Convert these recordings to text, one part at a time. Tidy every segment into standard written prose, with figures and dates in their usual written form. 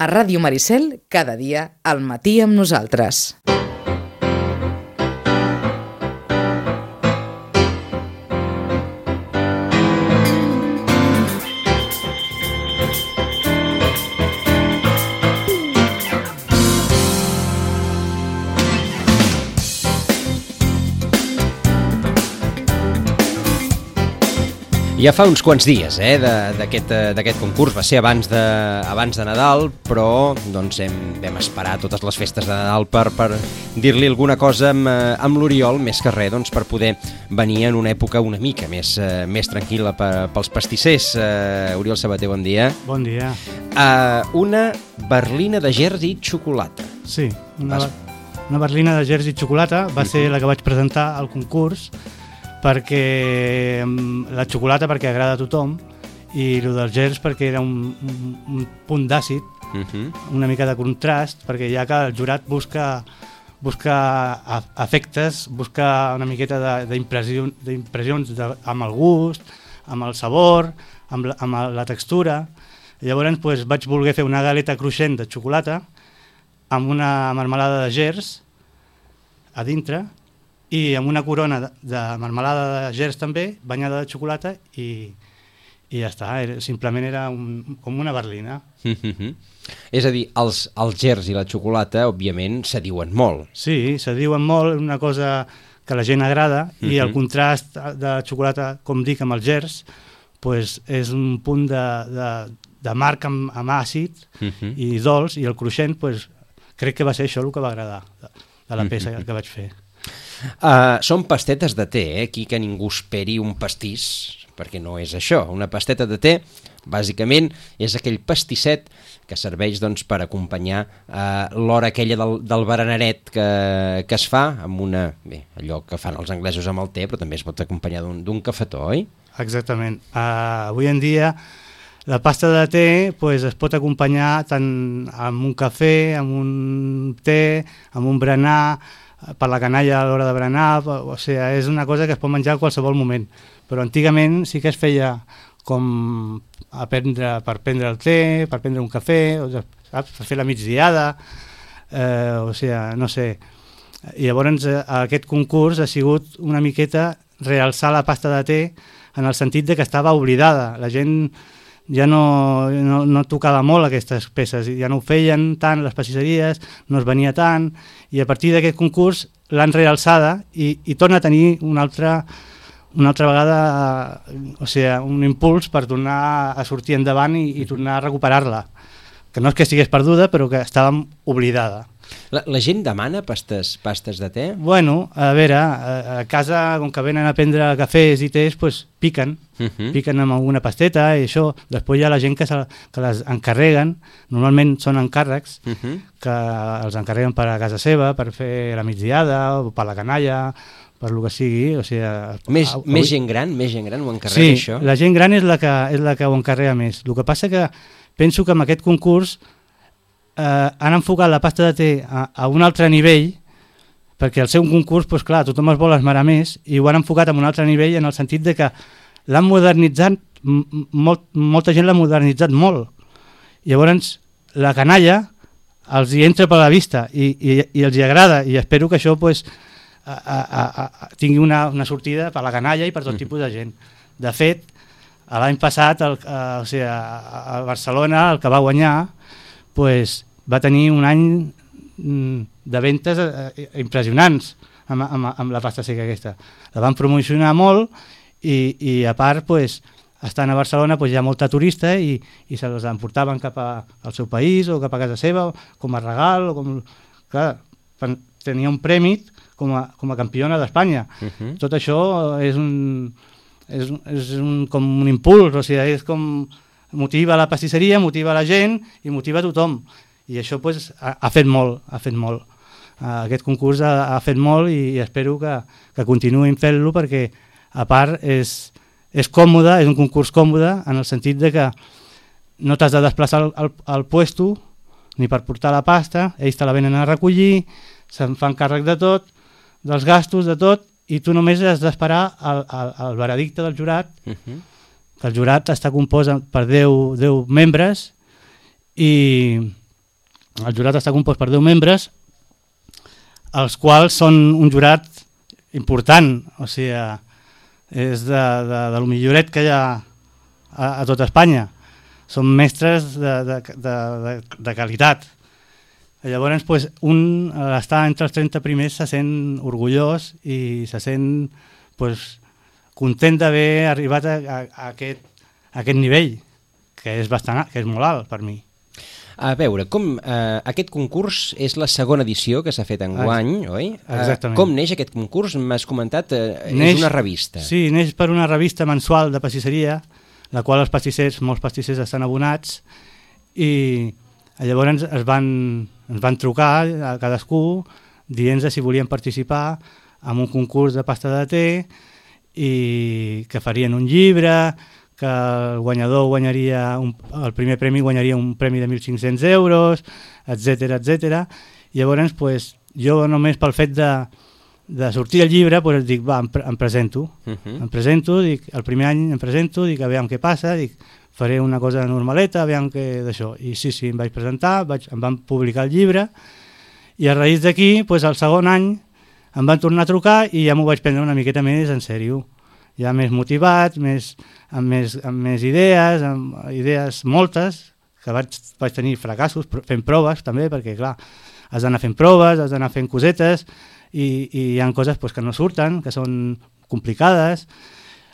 A Ràdio Maricel, cada dia, al matí amb nosaltres. Ja fa uns quants dies d'aquest concurs, va ser abans de Nadal, però doncs, vam esperar totes les festes de Nadal per dir-li alguna cosa amb l'Oriol, més que res doncs, per poder venir en una època una mica més tranquil·la pels pastissers. Oriol Sabater, bon dia. Bon dia. Una berlina de gerds i xocolata. Sí, una berlina de gerds i xocolata va ser la que vaig presentar al concurs, perquè la xocolata perquè agrada a tothom i el dels gerds perquè era un punt d'àcid, una mica de contrast, perquè ja que el jurat busca efectes, busca una miqueta d'impressions amb el gust, amb el sabor, amb la textura. Llavors doncs, vaig voler fer una galeta cruixent de xocolata amb una marmelada de gerds a dintre i amb una corona de marmelada de gerds també, banyada de xocolata i ja està, simplement era com una berlina. És a dir, els gerds i la xocolata, òbviament, se diuen molt. Sí, se diuen molt, una cosa que a la gent agrada, i el contrast de xocolata, com dic, amb els gerds, pues, és un punt de marc amb àcid i dolç, i el cruixent, pues, crec que va ser això el que va agradar de la peça que vaig fer. Són pastetes de té, aquí que ningú esperi un pastís, perquè no és això. Una pasteta de té, bàsicament, és aquell pastisset que serveix doncs, per acompanyar l'hora aquella del berenaret que es fa amb allò que fan els anglesos amb el té, però també es pot acompanyar d'un cafetó, oi? Exactament. Avui en dia la pasta de té pues, es pot acompanyar tant amb un cafè, amb un té, amb un berenar, per la canalla a l'hora de berenar, o sigui, és una cosa que es pot menjar a qualsevol moment, però antigament sí que es feia com per prendre el té, per prendre un cafè, saps? Per fer la migdiada, o sigui, no sé. I llavors aquest concurs ha sigut una miqueta realçar la pasta de té en el sentit de que estava oblidada, la gent ja no tocava molt aquestes peces, ja no ho feien tant les pastisseries, no es venia tant, i a partir d'aquest concurs l'han realçada i torna a tenir una altra vegada, o sigui, un impuls per tornar a sortir endavant i tornar a recuperar-la, que no és que estigués perduda, però que estava oblidada. La gent demana pastes de té? Bueno, a veure, a casa, com que venen a prendre cafès i tés, pues, piquen amb alguna pasteta i això. Després hi ha la gent que les encarreguen, normalment són encàrrecs, que els encarreguen per a casa seva, per fer la migdiada o per la canalla, per lo que sigui. O sigui, més gent gran ho encarrega, això? Sí, la gent gran és la que ho encarrega més. El que passa que penso que amb aquest concurs han enfocat la pasta de té a un altre nivell, perquè al ser un concurs, pues, clar, tothom es vol esmerar més, i ho han enfocat a un altre nivell en el sentit de que l'han modernitzat, molta gent l'ha modernitzat molt. Llavors, la canalla els hi entra per la vista i els hi agrada, i espero que això pues, tingui una sortida per la canalla i per tot tipus de gent. De fet, l'any passat, a Barcelona, el que va guanyar, pues, va tenir un any de ventes impressionants amb la pasta seca aquesta. La van promocionar molt i a part, pues, estant a Barcelona, pues, hi ha molta turista i se les emportaven cap al seu país o cap a casa seva com a regal. Clar, tenia un premi com a campiona d'Espanya. Tot això és com un impuls, o sigui, és com motiva la pastisseria, motiva la gent i motiva a tothom. I això pues, ha fet molt. Aquest concurs ha fet molt i espero que continuïn fent-lo perquè, a part, és còmode, és un concurs còmode en el sentit de que no t'has de desplaçar al puesto ni per portar la pasta, ells te la venen a recollir, se'n fan càrrec de tot, dels gastos, de tot, i tu només has d'esperar el veredicte del jurat, que el jurat està compost per 10 membres i El jurat està compost per 10 membres, els quals són un jurat important, o sigui, és de lo milloret que hi ha a tot Espanya. Són mestres de qualitat. Llavors, pues, un està entre els 30 primers se sent orgullós i se sent pues, content d'haver arribat a aquest nivell, que és molt alt per mi. A veure, aquest concurs és la segona edició que s'ha fet enguany, oi? Exactament. Com neix aquest concurs? M'has comentat, és una revista. Sí, neix per una revista mensual de pastisseria, la qual molts pastissers estan abonats, i llavors ens van trucar a cadascú dient si volien participar en un concurs de pasta de té i que farien un llibre, que el guanyador guanyaria el primer premi guanyaria un premi de 1.500 euros, etc etc. Llavors, pues, jo només pel fet de sortir al llibre, pues, dic, va, em presento. Em presento, dic, el primer any em presento, dic, a veure què passa, dic, faré una cosa normaleta, a veure què d'això. I sí, em vaig presentar, em van publicar el llibre, i a raïs d'aquí, pues, el segon any, em van tornar a trucar i ja m'ho vaig prendre una miqueta més en sèrio. Ja més motivat, amb més idees, amb idees moltes, que vaig tenir fracassos fent proves també, perquè clar, has d'anar fent proves, has d'anar fent cosetes, i hi ha coses pues, que no surten, que són complicades.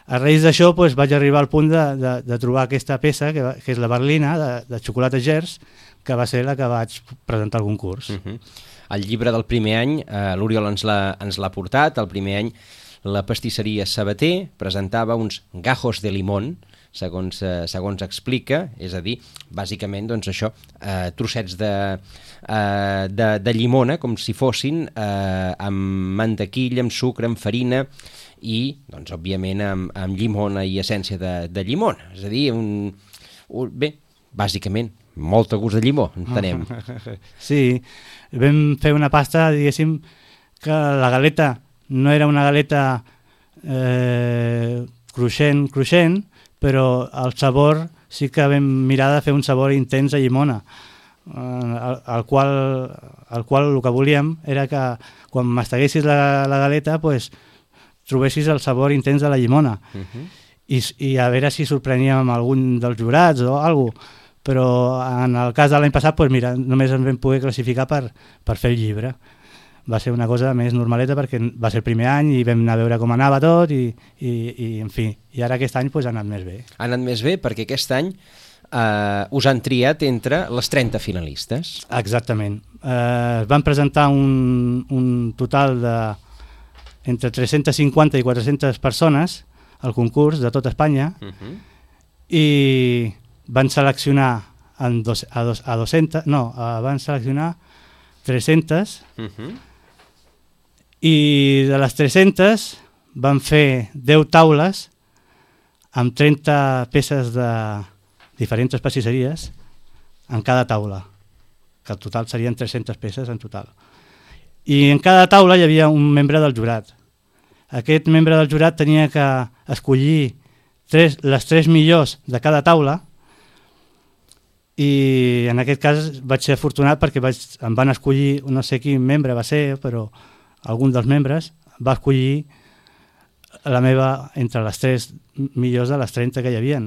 A raïs d'això pues, vaig arribar al punt de trobar aquesta peça, que és la berlina de xocolata Gers, que va ser la que vaig presentar al concurs. El llibre del primer any, l'Oriol ens l'ha portat. El primer any la pastisseria Sabater presentava uns gajos de limón, segons explica, és a dir, bàsicament doncs això, trossets de llimona, com si fossin amb mantequilla, amb sucre, amb farina i, doncs, òbviament, amb llimona i essència de llimona. És a dir, bé, bàsicament, molt a gust de llimó, entenem. Sí, vam fer una pasta, diguéssim, que la galeta no era una galeta cruixent, però el sabor sí que vam mirar de fer un sabor intens a llimona, el qual el que volíem era que quan masteguessis la galeta pues, trobessis el sabor intens de la llimona. I a veure si sorpreníem amb algun dels jurats o alguna cosa, però en el cas de l'any passat pues, mira, només ens vam poder classificar per fer el llibre. Va ser una cosa més normaleta perquè va ser el primer any i vam anar a veure com anava tot i en fi, i ara aquest any pues, ha anat més bé. Ha anat més bé perquè aquest any us han triat entre les 30 finalistes. Exactament. Es van presentar un total entre 350 i 400 persones al concurs de tot Espanya i van seleccionar van seleccionar 300 i de les 300 van fer 10 taules amb 30 peces de diferents pastisseries en cada taula, que al total serien 300 peces en total. I en cada taula hi havia un membre del jurat. Aquest membre del jurat tenia que escollir les 3 millors de cada taula i en aquest cas vaig ser afortunat perquè em van escollir, no sé quin membre va ser, però algun dels membres va escollir la meva entre les 3 millors de les 30 que hi havia.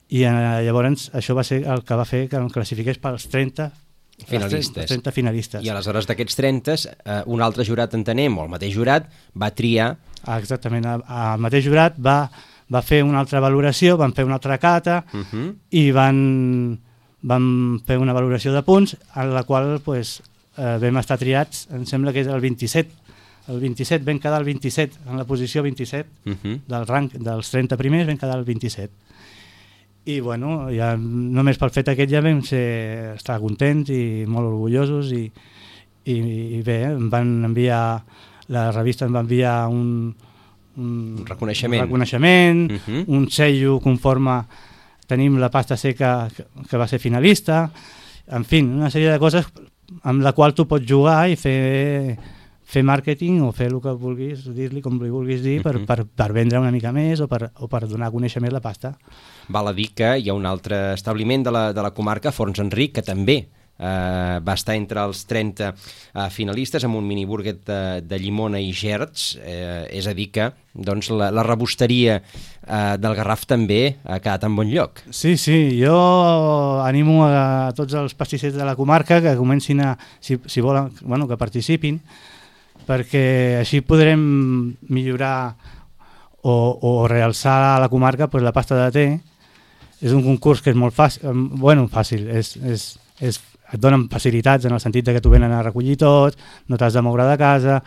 I llavors això va ser el que va fer que em classifiqués pels 30 finalistes. I aleshores d'aquests 30, un altre jurat, entenem, o el mateix jurat, va triar... Exactament, el mateix jurat va fer una altra valoració, van fer una altra cata i van fer una valoració de punts en la qual vam estar triats, em sembla que és el 27. El 27 vam quedar el 27, en la posició 27 del rang dels 30 primers vam quedar el 27. I bueno, ja, només pel fet aquest ja vam estar contents i molt orgullosos i bé, em van enviar, la revista em va enviar un reconeixement, un sello conforme tenim la pasta seca que va ser finalista, en fi, una sèrie de coses amb la qual tu pots jugar i fer màrqueting o fer el que vulguis dir-li, com li vulguis dir, per vendre una mica més o per donar a conèixer més la pasta. Val a dir que hi ha un altre establiment de la comarca, Forns Enric, que també va estar entre els 30 finalistes amb un mini burguet de llimona i gerds, és a dir que doncs, la rebosteria del Garraf també ha quedat en bon lloc. Sí, jo animo a tots els pastissers de la comarca que comencin si volen, que participin, perquè així podrem millorar o realçar a la comarca la pasta de te. És un concurs que és molt fàcil, et donen facilitats en el sentit que t'ho venen a recollir tot, no t'has de moure de casa,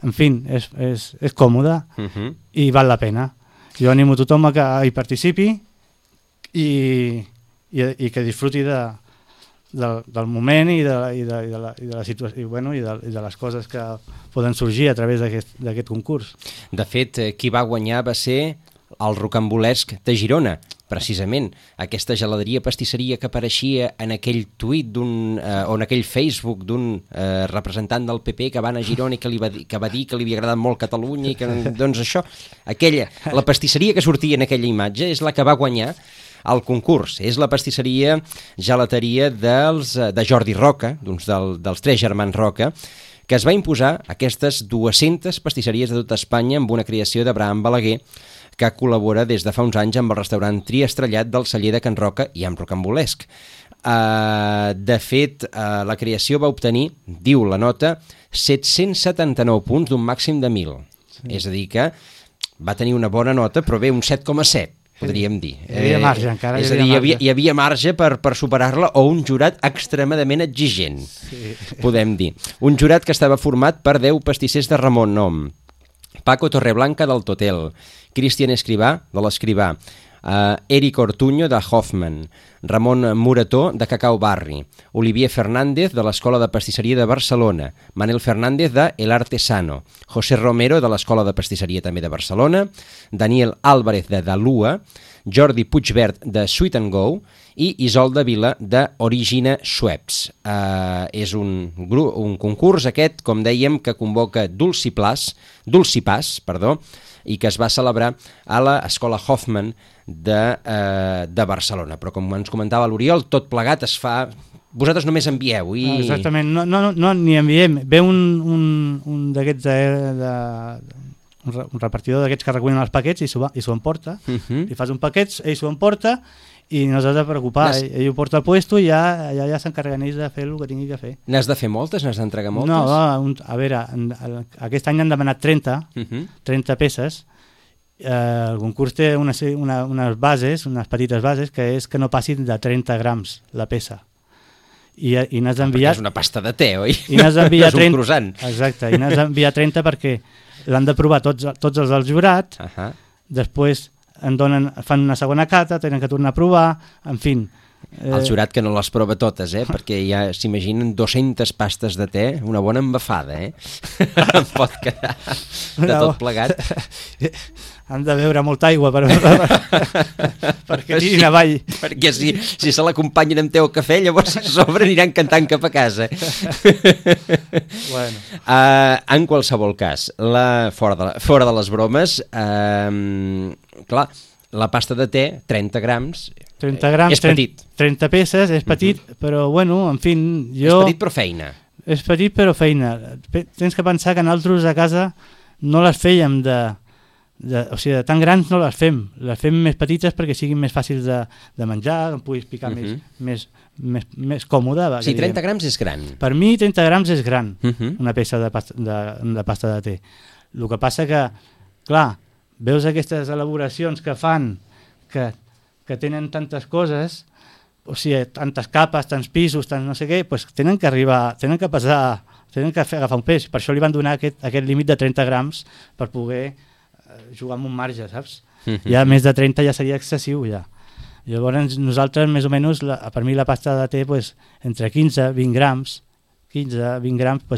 en fi, és còmode i val la pena. Jo animo a tothom que hi participi i que disfruti del moment i de la situació i de les coses que poden sorgir a través d'aquest concurs. De fet, qui va guanyar va ser el Rocambolesc de Girona, precisament, aquesta geladeria pastisseria que apareixia en aquell tuit o en aquell Facebook d'un representant del PP que va anar a Girona i que va dir que li havia agradat molt Catalunya i que, doncs això, la pastisseria que sortia en aquella imatge és la que va guanyar el concurs. És la pastisseria gelateria de Jordi Roca, dels tres germans Roca, que es va imposar aquestes 200 pastisseries de tot Espanya amb una creació d'Abraham Balaguer, que col·labora des de fa uns anys amb el restaurant Triestrellat del celler de Can Roca i amb Rocambolesc. De fet, la creació va obtenir, diu la nota, 779 punts d'un màxim de 1.000. Sí. És a dir que va tenir una bona nota, però bé, un 7,7, podríem dir. Hi havia marge encara. És a dir, hi havia marge per superar-la o un jurat extremadament exigent, podem dir. Un jurat que estava format per 10 pastissers de Ramon Nom, Paco Torreblanca del Totel, Cristian Escrivà de l'Escrivà, Eric Ortuño de Hoffman, Ramon Murató de Cacau Barri, Olivier Fernández de l'Escola de Pastisseria de Barcelona, Manel Fernández de El Artesano, José Romero de l'Escola de Pastisseria també de Barcelona, Daniel Álvarez de Dalua, Jordi Puigvert de Sweet and Go i Isolda Vila de Origina Schweppes. És un concurs aquest, com dèiem, que convoca Dulcipàs, i que es va celebrar a l'Escola Hoffman de Barcelona. Però com ens comentava l'Oriol, tot plegat es fa... Vosaltres només envieu i... Exactament, no ni enviem. Ve un d'aquests un repartidor d'aquests que recullen els paquets i s'ho emporta. Li fas un paquet, ell s'ho emporta i no s'has de preocupar. Ell ho porta al puesto i ja s'encarreguen ells de fer el que tingui que fer. N'has de fer moltes? N'has d'entregar moltes? No, a veure, aquest any han demanat 30 peces. El concurs té unes bases, unes petites bases, que és que no passin de 30 grams la peça. I n'has d'enviar... Perquè és una pasta de te, oi? I n'has d'enviar 30... És un croissant. Exacte, i n'has d'enviar 30 perquè l'han de provar tots els del jurat, després fan una segona cata, tenen que tornar a provar, en fi. El jurat que no les prova totes, perquè ja s'imaginen 200 pastes de te, una bona embafada, em pot quedar de tot plegat. Han de beure molta aigua perquè tirin avall. Perquè si se l'acompanyen amb te o cafè, llavors si sobre aniran cantant cap a casa. Bueno. En qualsevol cas, fora de les bromes, clar, la pasta de te, 30 grams, és petit. 30 peces, és petit, però bueno, en fi, jo... És petit però feina. És petit però feina. Tens que pensar que nosaltres a casa no les fèiem o sigui, de tan grans no les fem més petites perquè siguin més fàcils de menjar, que em puguis picar més còmode. Sí, 30 grams és gran. Per mi 30 grams és gran, una peça de pasta de te. El que passa que, clar, veus aquestes elaboracions que fan que tenen tantes coses, o sigui, tantes capes, tants pisos, tant no sé què, doncs tenen que agafar un pes. Per això li van donar aquest límit de 30 grams per poder jugar amb un marge, saps? Ja més de 30 ja seria excessiu, ja. Llavors nosaltres, més o menys, per mi la pasta de te, entre 15-20 grams,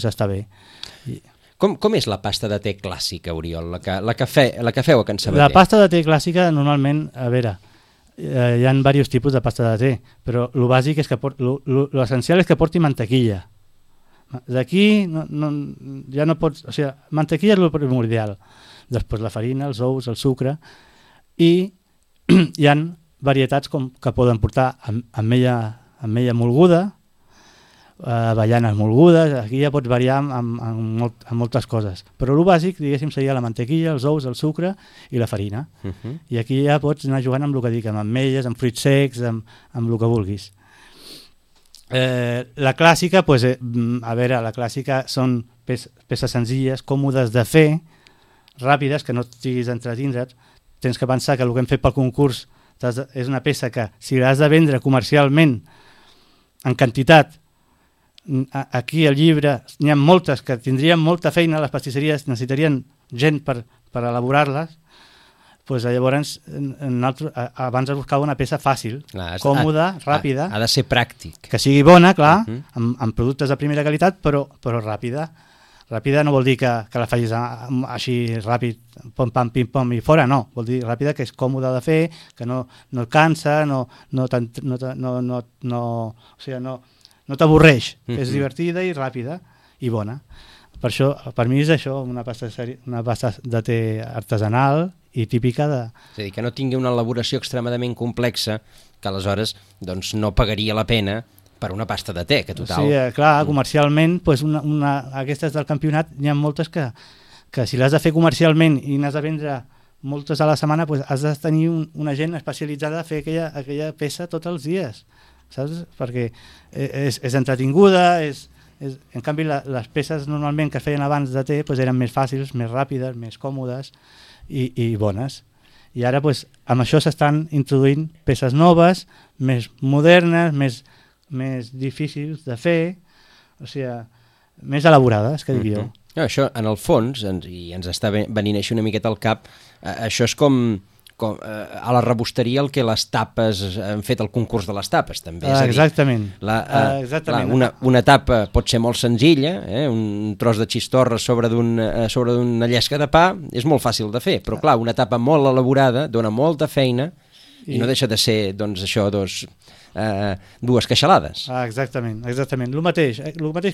està bé. Com és la pasta de te clàssica, Oriol, la que feu a Can Sabater? La pasta de te clàssica, normalment, a veure, hi ha diversos tipus de pasta de te, però el bàsic és que l'essencial és que porti mantequilla. D'aquí ja no pots... O sigui, mantequilla és el primordial. Després la farina, els ous, el sucre, i hi ha varietats que poden portar ametlla molguda, avellanes molgudes, aquí ja pots variar amb moltes coses. Però el bàsic, diguéssim, seria la mantequilla, els ous, el sucre i la farina. I aquí ja pots anar jugant amb el que dic, amb ametlles, amb fruits secs, amb el que vulguis. La clàssica, la clàssica són peces senzilles, còmodes de fer, ràpides, que no estiguis entretindre't. Tens que pensar que el que hem fet pel concurs és una peça que, si l'has de vendre comercialment en quantitat, aquí al llibre n'hi ha moltes que tindrien molta feina, les pastisseries necessitarien gent per elaborar-les, llavors abans es buscava una peça fàcil, còmoda, ràpida, ha de ser pràctic, que sigui bona, clar, amb productes de primera qualitat, però ràpida. Ràpida no vol dir que la facis així ràpid, pom pam pim pom i fora, no, vol dir ràpida que és còmoda de fer, que no et cansa, no t'avorreix, és divertida i ràpida i bona. Per això, per mi és això, una pasta de té artesanal i típica de... És a dir, que no tingui una elaboració extremadament complexa, que aleshores no pagaria la pena per una pasta de té, que total... Sí, clar, comercialment, aquestes del campionat, n'hi ha moltes que si l'has de fer comercialment i n'has de vendre moltes a la setmana, has de tenir una gent especialitzada a fer aquella peça tots els dies, saps? Perquè és entretinguda, en canvi les peces normalment que es feien abans de té eren més fàcils, més ràpides, més còmodes i bones. I ara amb això s'estan introduint peces noves, més modernes, més difícils de fer, o sigui, més elaborades, que dic jo. Això, en el fons, i ens està venint així una miqueta al cap, això és com a la rebosteria el que les tapes han fet el concurs de les tapes, també. Exactament. Una tapa pot ser molt senzilla, un tros de xistorra sobre d'una llesca de pa, és molt fàcil de fer, però clar, una tapa molt elaborada dona molta feina i no deixa de ser, dues queixalades. Exactament. El mateix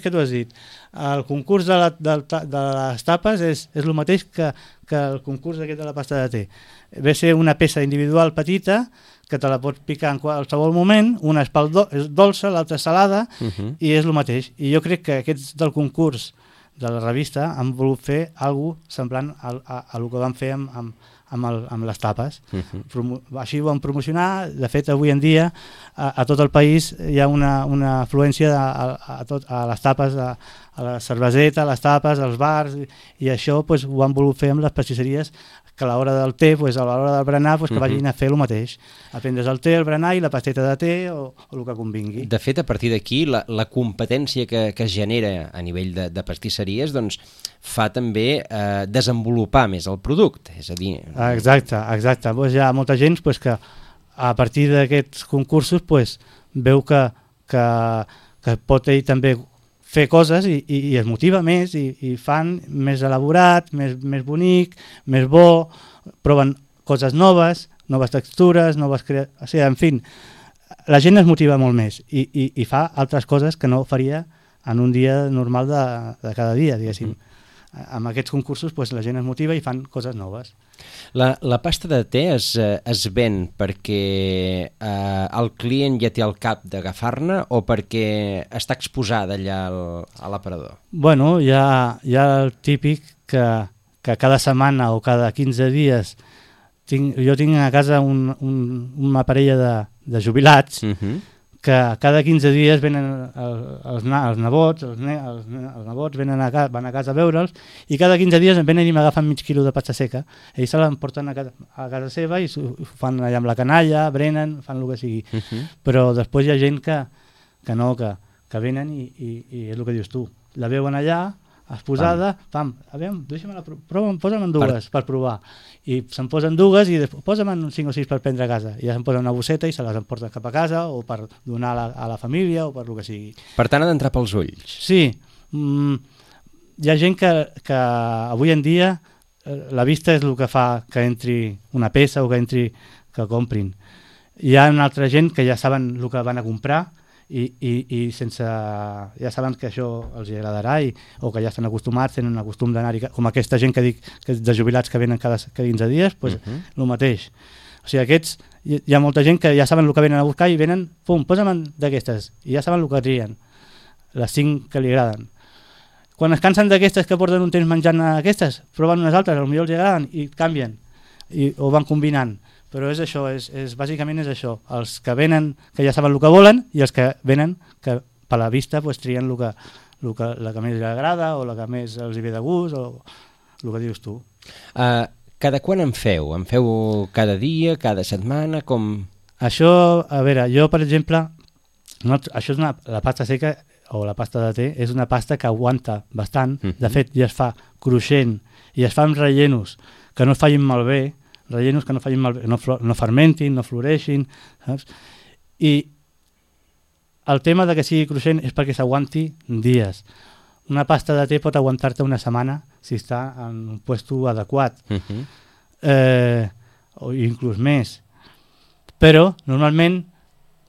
que tu has dit. El concurs de les tapes és el mateix que el concurs aquest de la pasta de té. Ve a ser una peça individual petita que te la pots picar en qualsevol moment, una és dolça, l'altra és salada, i és el mateix. I jo crec que aquests del concurs de la revista han volut fer alguna cosa semblant a el que van fer amb les tapes. Així ho van promocionar. De fet, avui en dia a tot el país hi ha una afluència a les tapes, a la cerveseta, a les tapes, als bars, i això ho han volut fer amb les pastisseries, que a l'hora del té, a l'hora del berenar, que vagin a fer el mateix, a prendre's el té, el berenar i la pasteta de té o el que convingui. De fet, a partir d'aquí, la competència que es genera a nivell de pastisseries fa també desenvolupar més el producte, és a dir... Exacte. Hi ha molta gent que a partir d'aquests concursos veu que pot ell també fer coses i es motiva més i fan més elaborat, més bonic, més bo, proven coses noves textures, o sigui, en fi, la gent es motiva molt més i fa altres coses que no faria en un dia normal de cada dia, diguéssim. Amb aquests concursos la gent es motiva i fan coses noves. La pasta de té es ven perquè el client ja té al cap d'agafar-ne o perquè està exposada allà a l'aparador? Bueno, hi ha el típic que cada setmana o cada 15 dies jo tinc a casa una parella de jubilats que cada 15 dies venen els nebots, van a casa a veure'ls, i cada 15 dies em venen i m'agafen mig quilo de pasta seca. Ells se l'emporten a casa seva i ho fan allà amb la canalla, brenen, fan el que sigui. Però després hi ha gent que venen i és el que dius tu. La veuen allà, exposada, posa'm dues per provar. I se'n posen dues i posa'm 5 o 6 per prendre a casa. I ja se'n posen una bosseta i se les emporten cap a casa o per donar a la família o per el que sigui. Per tant, ha d'entrar pels ulls. Sí. Hi ha gent que avui en dia la vista és el que fa que entri una peça o que comprin. Hi ha una altra gent que ja saben el que van a comprar i ja saben que això els agradarà o que ja estan acostumats, tenen un costum d'anar-hi, com aquesta gent que dic de jubilats que venen cada 15 dies, el mateix. O sigui, aquests, hi ha molta gent que ja saben el que venen a buscar i venen, pum, posa'm d'aquestes, i ja saben el que trien. les 5 que li agraden. Quan es cansen d'aquestes que porten un temps menjant aquestes, proven unes altres, potser els agraden i canvien, o van combinant. Però és això, bàsicament és això. Els que venen, que ja saben el que volen, i els que venen, que per la vista pues, trien la que més li agrada o la que més els hi ve de gust o el que dius tu. Cada quan en feu? En feu cada dia, cada setmana? Com... Això, a veure, jo per exemple, això és la pasta seca o la pasta de te, és una pasta que aguanta bastant. De fet, ja es fa cruixent i es fa amb rellenos que no es facin malbé, rellenos que no facin malbé, no fermentin, no floreixin, saps? I el tema de que sigui cruixent és perquè s'aguanti dies. Una pasta de te pot aguantar-te una setmana si està en un puesto adequat, o inclús més. Però, normalment,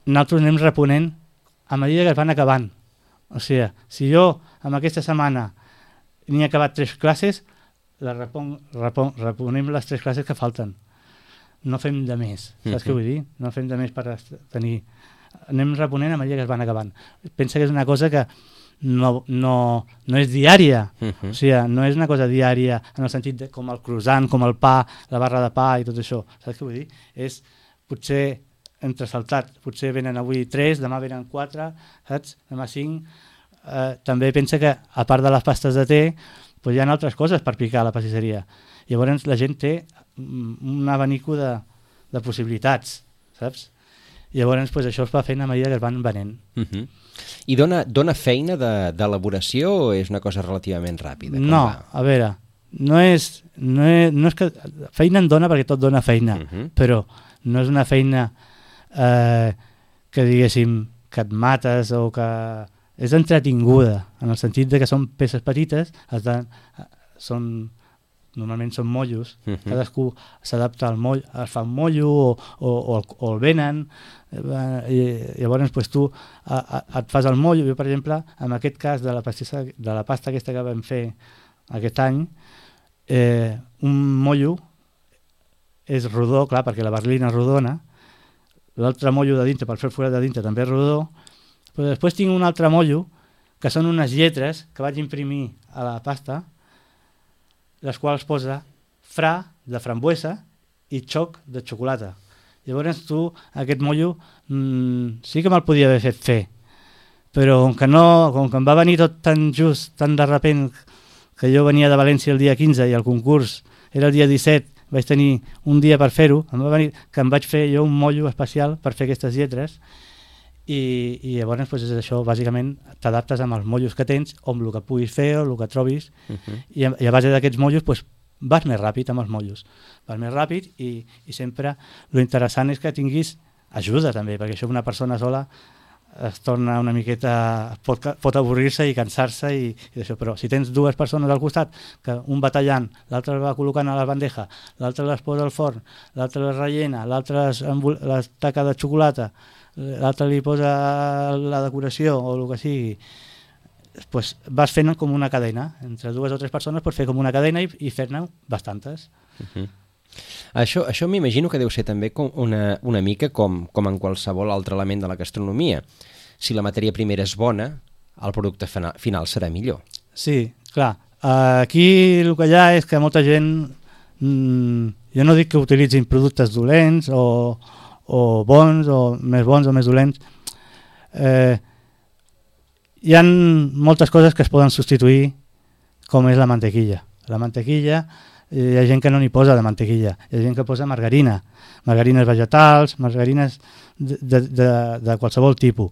nosaltres anem reponent a mesura que es van acabant. O sigui, si jo en aquesta setmana n'he acabat 3 classes, reponem les 3 classes que falten. No fem de més, saps què vull dir? No fem de més per tenir... Anem reponent a mesura que es van acabant. Pensa que és una cosa que no és diària, o sigui, no és una cosa diària en el sentit de, com el croissant, com el pa, la barra de pa i tot això, saps què vull dir? És potser entresaltat, potser venen avui 3, demà venen 4, saps? Demà 5. També pensa que a part de les pastes de te pues hi ha altres coses per picar a la pastisseria. Llavors la gent té un abanico de possibilitats, saps? Llavors pues, això es va fent a mesura que es van venent. I dona feina d'elaboració o és una cosa relativament ràpida? No, a veure, no és que feina en dona perquè tot dona feina, però no és una feina que diguéssim que et mates o que és entretinguda, en el sentit de que són peces petites, normalment són mollos, cadascú s'adapta al moll, es fa un mollo o el venen, i llavors pues, tu et fas el mollo. Jo, per exemple, en aquest cas de la pasta aquesta que vam fer aquest any, un mollo és rodó, clar, perquè la berlina és rodona, l'altre mollo de dintre, per fer el forat de dintre, també és rodó, però després tinc un altre mollo, que són unes lletres que vaig imprimir a la pasta, les quals posa fra de frambuesa i xoc de xocolata. Llavors tu, aquest mollo, sí que me'l podia haver fet fer, però com que em va venir tot tan just, tan de repent, que jo venia de València el dia 15 i el concurs era el dia 17, vaig tenir un dia per fer-ho, em va venir que em vaig fer jo un mollo especial per fer aquestes lletres, i llavors pues, és això, bàsicament t'adaptes amb els mollos que tens o amb el que puguis fer o el que trobis, i a base d'aquests mollos pues, vas més ràpid amb els mollos, vas més ràpid i sempre lo interessant és que tinguis ajuda també, perquè això una persona sola es torna una miqueta, pot avorrir-se i cansar-se i això, però si tens 2 persones al costat, que un va tallant, l'altre va col·locant a la bandeja, l'altre les posa al forn, l'altre les rellena, l'altre les taca de xocolata, l'altre li posa la decoració o el que sigui, pues vas fent com una cadena, entre 2 o 3 persones pots fer com una cadena i fer-ne bastantes. Això m'imagino que deu ser també com una mica com en qualsevol altre element de la gastronomia. Si la matèria primera és bona, el producte final serà millor. Sí, clar. Aquí el que hi ha és que molta gent, jo no dic que utilitzin productes dolents o bons o més dolents, hi ha moltes coses que es poden substituir, com és la mantequilla. La mantequilla, hi ha gent que no n'hi posa de mantequilla, hi ha gent que posa margarines vegetals, margarines de qualsevol tipus.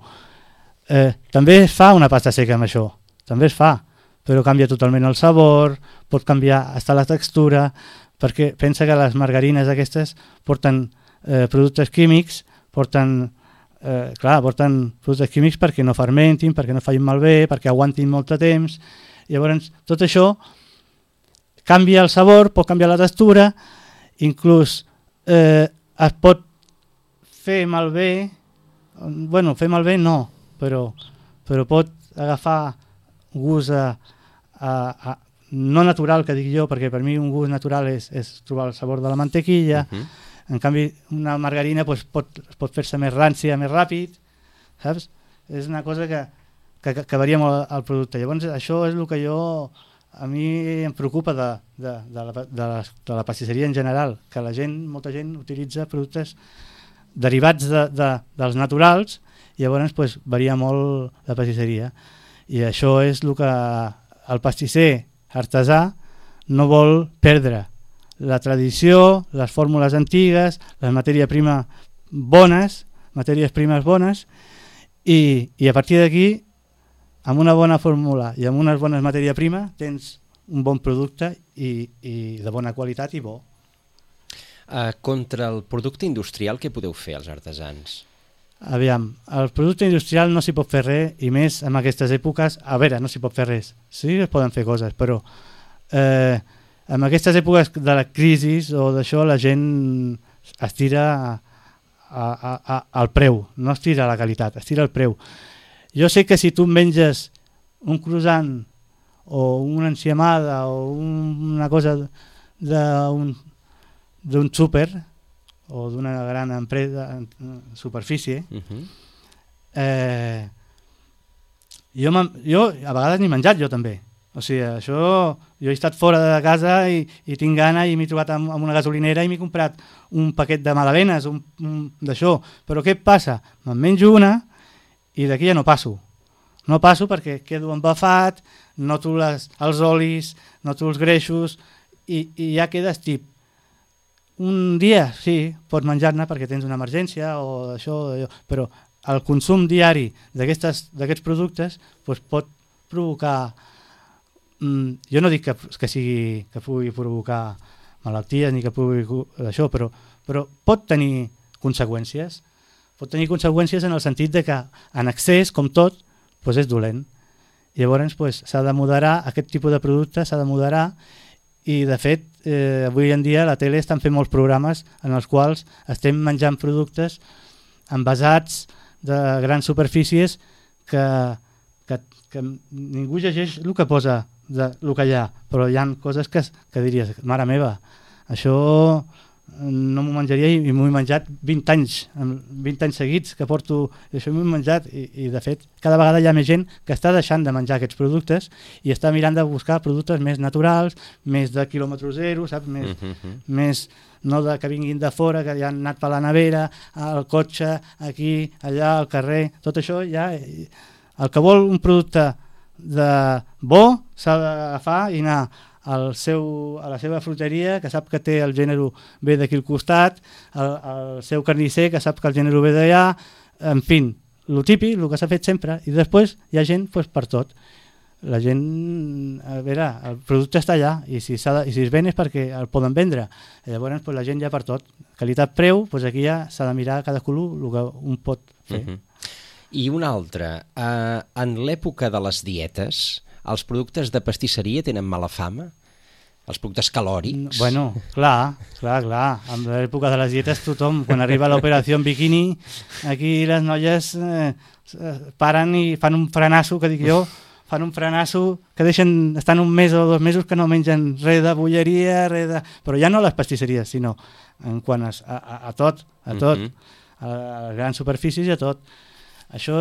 També es fa una pasta seca amb això, també es fa, però canvia totalment el sabor, pot canviar hasta la textura, perquè pensa que les margarines aquestes porten productes químics, porten productes químics perquè no fermentin, perquè no facin malbé, perquè aguantin molt de temps. Llavors, tot això canvia el sabor, pot canviar la textura, inclús es pot fer malbé, fer malbé no, però pot agafar gust no natural, que dic jo, perquè per mi un gust natural és trobar el sabor de la mantequilla. En canvi, una margarina pot fer-se més rància, més ràpid, saps? És una cosa que que varia molt el producte. Llavors això és el que a mi em preocupa de la pastisseria en general, que molta gent utilitza productes derivats dels naturals, i llavors pues, varia molt la pastisseria. I això és el que el pastisser artesà no vol perdre. La tradició, les fórmules antigues, les matèries primes bones, i a partir d'aquí, amb una bona fórmula i amb unes bones matèries primes, tens un bon producte i de bona qualitat i bo. Contra el producte industrial, què podeu fer els artesans? Aviam, el producte industrial no s'hi pot fer res, i més en aquestes èpoques. A veure, no s'hi pot fer res, sí es poden fer coses, però en aquestes èpoques de la crisi o d'això, la gent es tira al preu, no es tira a la qualitat, es tira al preu. Jo sé que si tu menges un croissant o una enciamada o una cosa d'un súper o d'una gran empresa, superfície, jo a vegades n'he menjat jo també. O sigui, jo he estat fora de casa i tinc gana i m'he trobat amb una gasolinera i m'he comprat un paquet de magdalenes, d'això. Però què passa? Me'n menjo una i d'aquí ja no passo. No passo perquè quedo embafat, noto els olis, noto els greixos i ja quedes tip. Un dia, sí, pots menjar-ne perquè tens una emergència o això, però el consum diari d'aquests productes doncs pot provocar... Jo no dic que pugui provocar malalties ni que pugui això, però pot tenir conseqüències. Pot tenir conseqüències en el sentit de que en excés, com tot, doncs és dolent. Llavors s'ha de moderar, aquest tipus de producte s'ha de moderar, i de fet avui en dia a la tele estan fent molts programes en els quals estem menjant productes envasats de grans superfícies que ningú llegeix el que posa, el que hi ha, però hi ha coses que diries, mare meva, això no m'ho menjaria, i m'ho he menjat 20 anys seguits que porto, i això m'ho he menjat, i de fet cada vegada hi ha més gent que està deixant de menjar aquests productes i està mirant de buscar productes més naturals, més de quilòmetre zero, saps? Més no que vinguin de fora, que ja han anat per la nevera, al cotxe, aquí, allà, al carrer, tot això ja... El que vol un producte bo s'ha d'agafar i anar a la seva fruiteria, que sap que té el gènere bé d'aquí al costat, el seu carnisser, que sap que el gènere ve d'allà, en fi, el típic, el que s'ha fet sempre, i després hi ha gent per tot. La gent, a veure, el producte està allà, i si es ven és perquè el poden vendre. Llavors la gent ja per tot. Qualitat-preu, aquí ja s'ha de mirar cadascú el que un pot fer. I una altra, en l'època de les dietes, els productes de pastisseria tenen mala fama? Els productes calòrics? Bueno, clar. En l'època de les dietes tothom, quan arriba l'operació en biquini, aquí les noies paren i fan un frenasso, que dic jo, que estan un mes o 2 mesos que no mengen res de bolleria, però ja no a les pastisseries, sinó en quant a tot, a les grans superfícies i a tot. Això,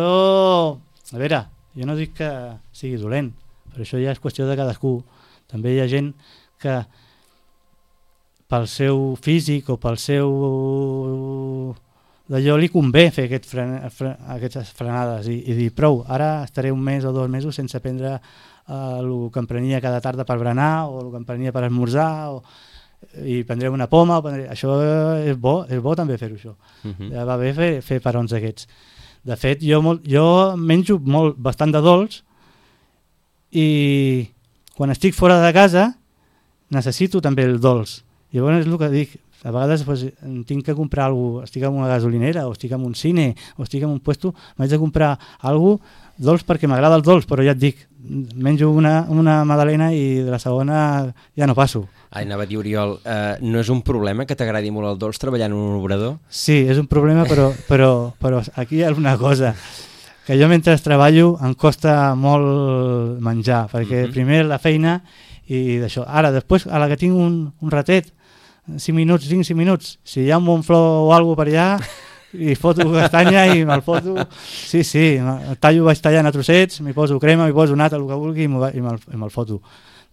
a veure, jo no dic que sigui dolent, però això ja és qüestió de cadascú. També hi ha gent que pel seu físic o pel seu d'allò li convé fer aquestes frenades i dir prou, ara estaré un mes o 2 mesos sense prendre el que em prenia cada tarda per berenar o el que em prenia per esmorzar i prendré una poma. Això és bo també fer-ho, això. Ja va bé fer parons aquests. De fet, jo menjo bastant de dolç i quan estic fora de casa necessito també el dolç. Llavors és el que dic, a vegades tinc que comprar alguna cosa, estic en una gasolinera o estic en un cine o estic en un puesto, m'haig de comprar alguna cosa dolç perquè m'agrada el dolç, però ja et dic, menjo una magdalena i de la segona ja no passo. Anava a dir, Oriol, no és un problema que t'agradi molt el dolç treballant en un obrador? Sí, és un problema, però aquí hi ha una cosa, que jo mentre treballo em costa molt menjar, perquè primer la feina i d'això. Ara, després, a la que tinc un ratet, 5 minuts, si hi ha un bon flor o alguna cosa per allà, i foto castanya i me'l foto, sí, vaig tallant a trossets, m'hi poso crema, m'hi poso nata, el que vulgui i me'l foto.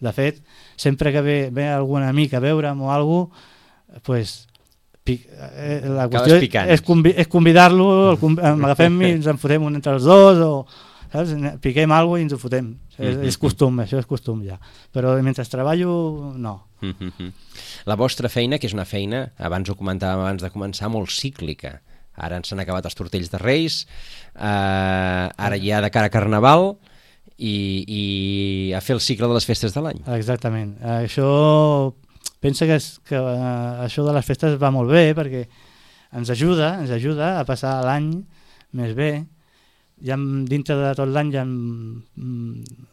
De fet, sempre que ve algun amic a veure'm o alguna cosa, pues, la qüestió és convidar-lo, m'agafem i ens en fotem un entre els dos, o saps? Piquem alguna cosa i ens ho fotem. És costum, això és costum ja. Però mentre treballo, no. La vostra feina, que és una feina, abans ho comentàvem abans de començar, molt cíclica. Ara ens han acabat els tortells de Reis, ara ja de cara a Carnaval, i a fer el cicle de les festes de l'any. Exactament. Això, pensa que això de les festes va molt bé perquè ens ajuda a passar l'any més bé. Dintre de tot l'any hi ha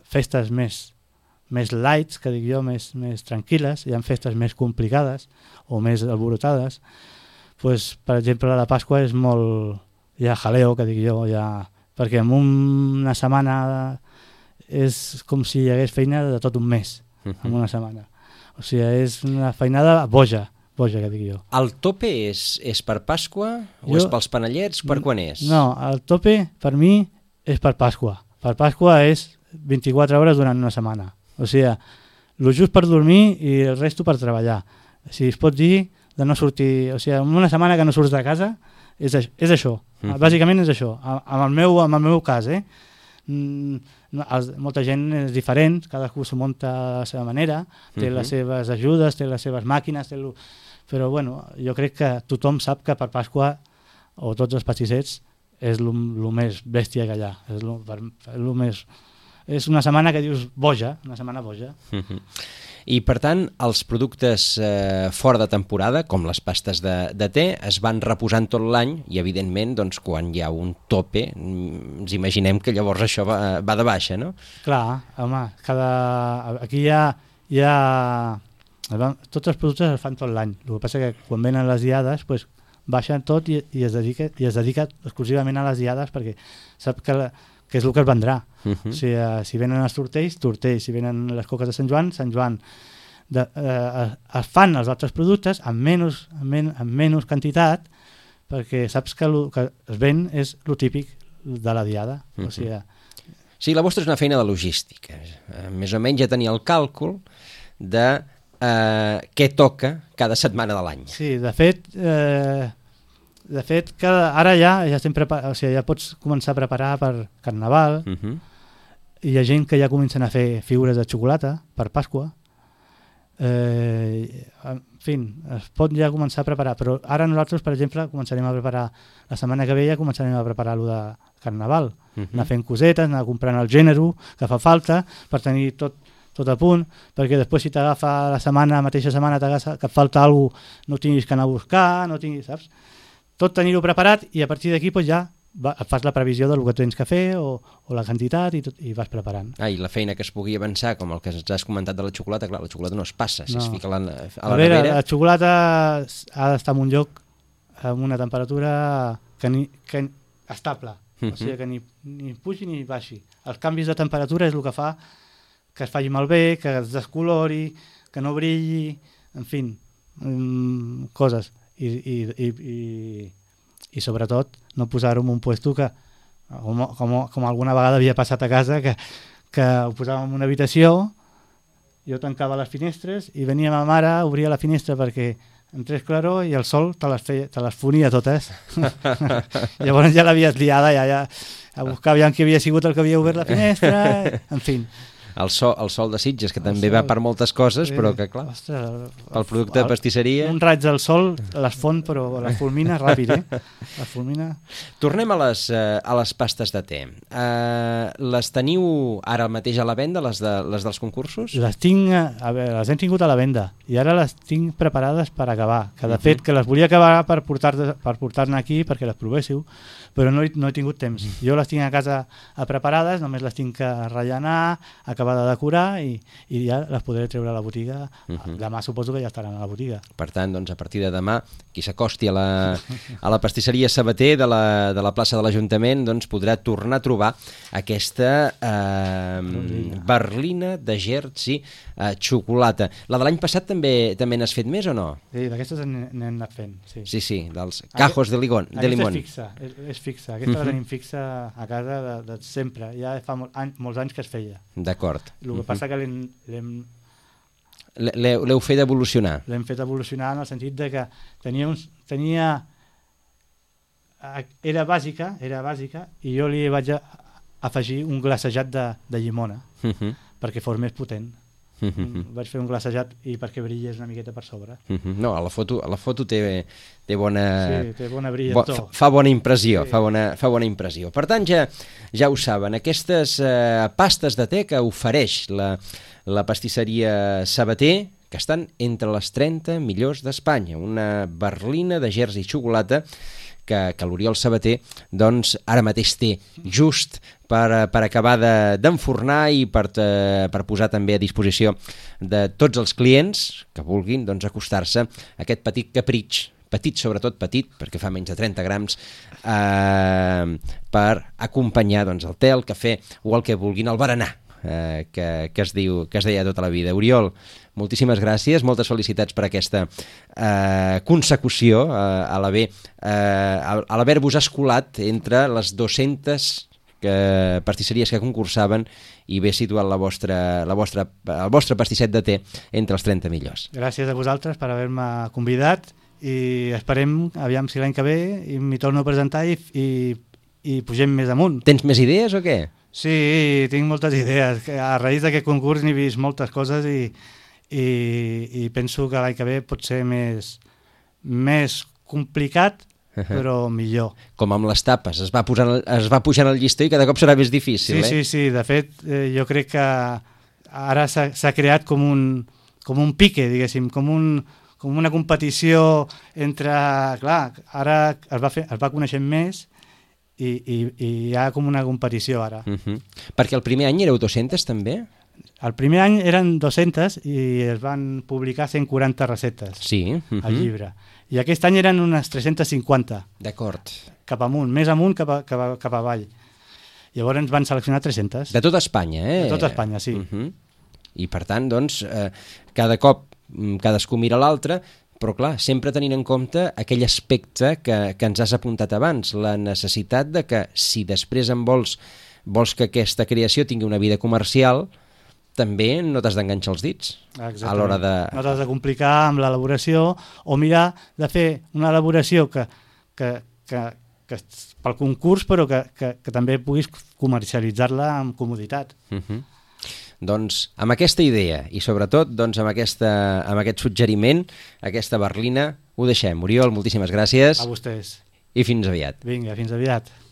festes més lights, que dic jo, més tranquil·les, hi ha festes més complicades o més alborotades. Pues, per exemple, la de Pasqua és molt... hi ha jaleo, que dic jo, perquè en una setmana és com si hi hagués feina de tot un mes, en una setmana. O sigui, és una feinada boja, que dic jo. El tope és per Pasqua o és pels panellets? Per quan és? No, el tope per mi és per Pasqua. Per Pasqua és 24 hores durant una setmana. O sigui, el just per dormir i el resto per treballar. Si es pot dir de no sortir... O sigui, una setmana que no surts de casa és això. Bàsicament és això. En el meu cas, molta gent és diferent, cadascú s'ho munta a la seva manera, té les seves ajudes, té les seves màquines, però bueno, jo crec que tothom sap que per Pasqua o tots els pastissets és el més bèstia que hi ha, és una setmana que dius boja, una setmana boja. I per tant, els productes fora de temporada, com les pastes de te, es van reposant tot l'any i evidentment doncs, quan hi ha un tope ens imaginem que llavors això va de baixa, no? Clar, home, aquí hi ha tots els productes es fan tot l'any, el que passa que quan venen les diades pues, baixen tot i es dedica exclusivament a les diades perquè sap que és el que es vendrà. O sigui, si venen els tortells, si venen les coques de Sant Joan, es fan els altres productes amb menys quantitat perquè saps que el que es ven és el típic de la diada. O sigui, sí, la vostra és una feina de logística. Més o menys ja tenia el càlcul de què toca cada setmana de l'any. Sí, de fet ara ja estem preparats, o sigui, ja pots començar a preparar per Carnaval. Hi ha gent que ja comencen a fer figures de xocolata per Pasqua. En fi, es pot ja començar a preparar, però ara nosaltres, per exemple, començarem a preparar, la setmana que ve ja començarem a preparar lo de Carnaval, anar fent cosetes, anar comprant el gènere que fa falta per tenir tot a punt, perquè després si t'agafa la mateixa setmana que et falta alguna cosa, no tinguis que anar a buscar, no tinguis, saps? Tot tenir-ho preparat i a partir d'aquí pues, ja fas la previsió del que tens que fer o la quantitat i vas preparant. I la feina que es pugui avançar, com el que ens has comentat de la xocolata, clar, la xocolata no es passa, si es fica a la nevera... La xocolata ha d'estar en un lloc amb una temperatura que estable, o sigui que ni pugi ni baixi. Els canvis de temperatura és el que fa que es faci malbé, que es descolori, que no brilli, en fi, coses. I sobretot no posar-ho en un puesto que, com alguna vegada havia passat a casa, que ho posàvem en una habitació, jo tancava les finestres i venia ma mare, obria la finestra perquè entrés claror i el sol te les fonia totes. Llavors ja l'havies liada, ja a buscar aviam qui havia sigut el que havia obert la finestra, en fi. El sol de Sitges, que també va per moltes coses, però que, clar, el producte de pastisseria... Un raig del sol les fon, però les fulmina ràpid, Les fulmina... Tornem a les pastes de te. Les teniu ara mateix a la venda, les dels concursos? Les hem tingut a la venda i ara les tinc preparades per acabar. Que de fet, que les volia acabar per portar-ne aquí perquè les provéssiu, però no he tingut temps. Jo les tinc a casa preparades, només les tinc que rellenar, acabar de decorar i ja les podré treure a la botiga. Demà suposo que ja estaran a la botiga. Per tant, doncs, a partir de demà, qui s'acosti a la pastisseria Sabater de la plaça de l'Ajuntament doncs, podrà tornar a trobar aquesta berlina de Jersey, xocolata. La de l'any passat també n'has fet més o no? Sí, d'aquestes n'hem anat fent, sí. Sí, dels cajos de limón. Aquesta és fixa. Aquesta la tenim fixa a casa de sempre. Ja fa molts anys que es feia. D'acord. El que passa que l'heu fet evolucionar. L'hem fet evolucionar en el sentit de que era bàsica i jo li vaig afegir un glaçejat de llimona perquè fos més potent. Vaig fer un glaçejat i perquè brillés una miqueta per sobre. No, a la foto té bona... Sí, té bona brillantor. Fa bona impressió, sí. fa bona impressió. Per tant, ja ho saben, aquestes pastes de te que ofereix la pastisseria Sabater, que estan entre les 30 millors d'Espanya. Una berlina de Jersey xocolata que l'Oriol Sabater doncs, ara mateix té just per acabar d'enfornar i per posar també a disposició de tots els clients que vulguin doncs, acostar-se a aquest petit capritx, sobretot petit, perquè fa menys de 30 grams, per acompanyar doncs, el te, el cafè o el que vulguin, el berenar, que es deia tota la vida. Oriol, moltíssimes gràcies, moltes felicitats per aquesta consecució a l'haver-vos escolat entre les 200 pastisseries que concursaven i haver situat el vostre pastisset de te entre els 30 millors. Gràcies a vosaltres per haver-me convidat i esperem, aviam si l'any que ve m'hi torno a presentar i pugem més amunt. Tens més idees o què? Sí, tinc moltes idees. A raïs d'aquest concurs n'he vist moltes coses i penso que l'any que ve pot ser més complicat, però millor. Com amb les tapes, es va pujant el llistó i cada cop serà més difícil. Sí, de fet, jo crec que ara s'ha creat com un pique, diguéssim, com una competició entre... Clar, ara es va coneixent més i hi ha com una competició ara. Perquè el primer any éreu 200 també? El primer any eren 200 i es van publicar 140 receptes al llibre. I aquest any eren unes 350. D'acord. Cap amunt, més amunt cap avall. Llavors ens van seleccionar 300. De tota Espanya, De tota Espanya, sí. I per tant, doncs, cada cop cadascú mira l'altre, però clar, sempre tenint en compte aquell aspecte que ens has apuntat abans, la necessitat de que si després vols que aquesta creació tingui una vida comercial, també no t'has d'enganxar els dits. Exactament. A l'hora de... No t'has de complicar amb l'elaboració o mirar de fer una elaboració que pel concurs però que també puguis comercialitzar-la amb comoditat. Doncs amb aquesta idea i sobretot doncs, amb aquest suggeriment, aquesta berlina, ho deixem. Oriol, moltíssimes gràcies. A vostès. I fins aviat. Vinga, fins aviat.